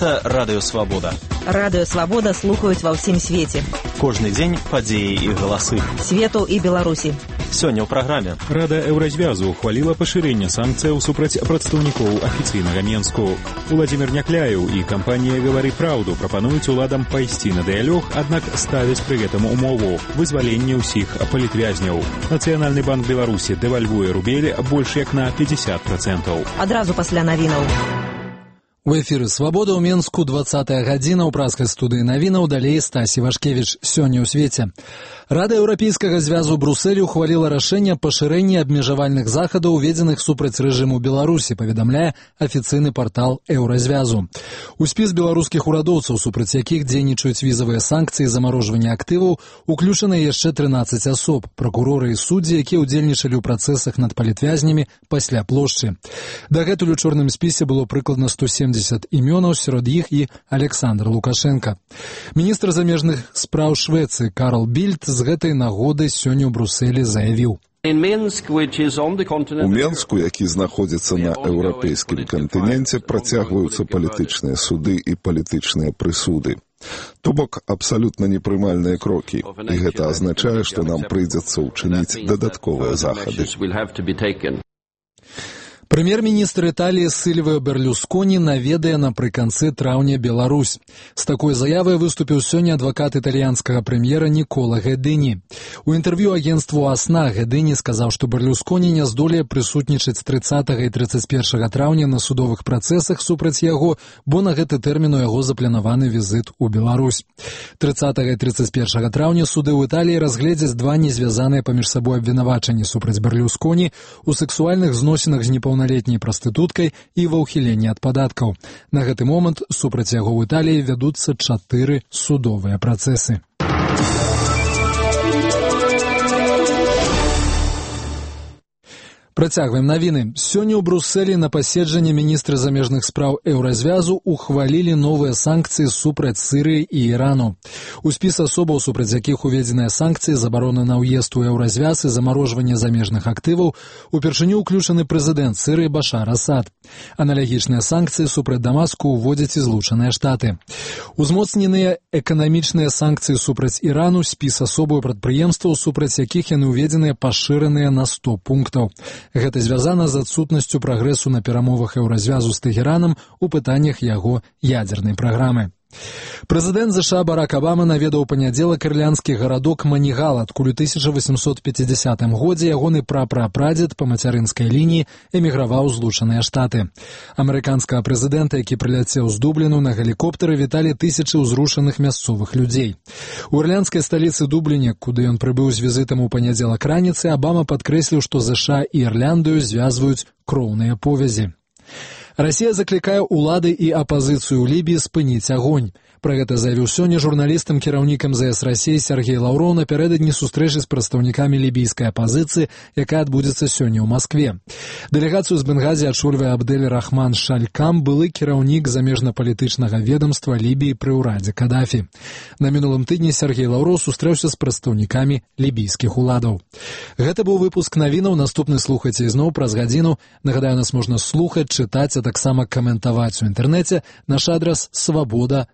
Гэта Радыё Свабода. Радыё Свабода слухаюць ва ўсім свеце. Кожны дзень падзеі і галасы. Свету і Беларусі. Сёння ў праграме. Рада Еўразвязу ухваліла пашырэнне санкцыяў супраць прадстаўнікоў афіцыйнага Менску. Уладзімір Някляеў і кампанія «Гавары праўду» прапануюць уладам пайсці на дыялог, аднак ставяць пры гэтым умову – вызваленне ўсіх палітвязняў. Нацыянальны банк Беларусі дэвальвуе рубель больш як на 50%. Адразу пасля навінаў. У эфіры «Свабода» ў Менску 20-я гадзіна ў праскай студыі навінаў, далей Стасі Вашкевіч. Сёння ў свеце. Рада Еўрапейскага звязу Брусэлі ухваліла рашэнне пашырэння абмежавальных захадаў, уведзеных супраць рэжыму Беларусі, паведамляе афіцыйны партал Еўразвязу. У спіс беларускіх урадоўцаў, супраць якіх дзейнічаюць візавыя санкцыі, замарожвання актываў, уключаны яшчэ 13 асоб, пракуроры і суддзі, якія ўдзельнічалі ў працэсах над палітвязнямі пасля плошчы. Дагэтуль у чорным спісе было прыкладна 170 імёнаў, сярод іх і Александр Лукашенко. Міністр замежных спраў Швецыі Карл Більд з гэтай нагоды сёння ў Брусэлі заявіў: У Менску, які знаходзіцца на еўрапейскім кантыненце, працягваюцца палітычныя суды і палітычныя прысуды. То бок абсалютна непрымальныя крокі, і гэта азначае, што нам прыйдзецца ўчыніць дадатковыя захады. Прэм'ер-міністр Італіі Сільвіо Берлюсконі наведае напрыканцы траўня Беларусь. З такой заявай выступіў сёння адвакат італьянскага прэм'ера Нікола Гэдыні. У інтэрв'ю агенцтву «Асна» Гэдыні сказаў, што Берлюсконі не здолее прысутнічаць 30 і 31 траўня на судовых працэсах супраць яго, бо на гэты тэрмін у яго запланаваны візіт у Беларусь. 30 і 31 траўня суды ў Італіі разгледзяць два незвязаныя паміж сабой абвінавачанні супраць Берлюсконі у сэксуальных зносінах з непаўналетняй прастытуткай і ва ўхіленні ад падаткаў. На гэты момант супраць яго ў Італіі вядуцца 4 судовыя працэсы. Працягваем навіны. Сёння ў Брусэлі на паседжанні міністры замежных спраў Еўразвязу ухвалілі новыя санкцыі супраць Сірыі і Ірану. У спіс асобаў, супраць якіх уведзеныя санкцыі, забарона на ўезд у Еўразвяз і замарожванне замежных актываў, упершыню ўключаны прэзідэнт Сірыі Башар Асад. Аналагічныя санкцыі супраць Дамаску ўводзяць і Злучаныя Штаты. Узмоцненыя эканамічныя санкцыі супраць Ірану, спіс асобаў прадпрыемстваў, супраць якіх яны ўведзеныя пашыраныя на 100 пунктаў. Гэта звязана з адсутнасцю прагрэсу на перамовах Еўразвязу з Тэхеранам у пытаннях яго ядзернай праграмы. Прэзідэнт ЗША Барак Абама наведаў у панядзелак ірландскі гарадок Манігал, адкуль у 1850 годзе ягоны прапрапрадзед па мацярынскай лініі эміграваў у Злучаныя Штаты. Амерыканскага прэзідэнта, які прыляцеў з Дубліну на гелікоптары, віталі тысячы ўзрушаных мясцовых людзей. У ірландскай сталіцы Дубліне, куды ён прыбыў з візітам у панядзелак раніцы, Абама падкрэсліў, што ЗША і Ірландыю звязваюць кроўныя повязі. Расія заклікае ўлады і апазіцыю ў Лібіі спыніць агонь. Пра гэта заявіў сёння журналістам кіраўнік МЗС Расіі Сергей Лаўроў напярэдадні сустрэчы з прадстаўнікамі лібійскай апазіцыі, якая адбудзецца сёння ў Маскве. Дэлегацыю з Бенгазі ачольвае Абдель Рахман Шалькам, былы кіраўнік замежна-палітычнага ведамства Лібіі пры ўрадзе Кадафі. На мінулым тыдні Сергей Лаўроў сустрэўся з прадстаўнікамі лібійскіх уладаў. Гэта быў выпуск навінаў, наступны слухайце ізноў праз гадзіну. Нагадаю, нас можна слухаць, чытаць, а таксама каментаваць у інтэрнэце. Наш адрас свабода.орг.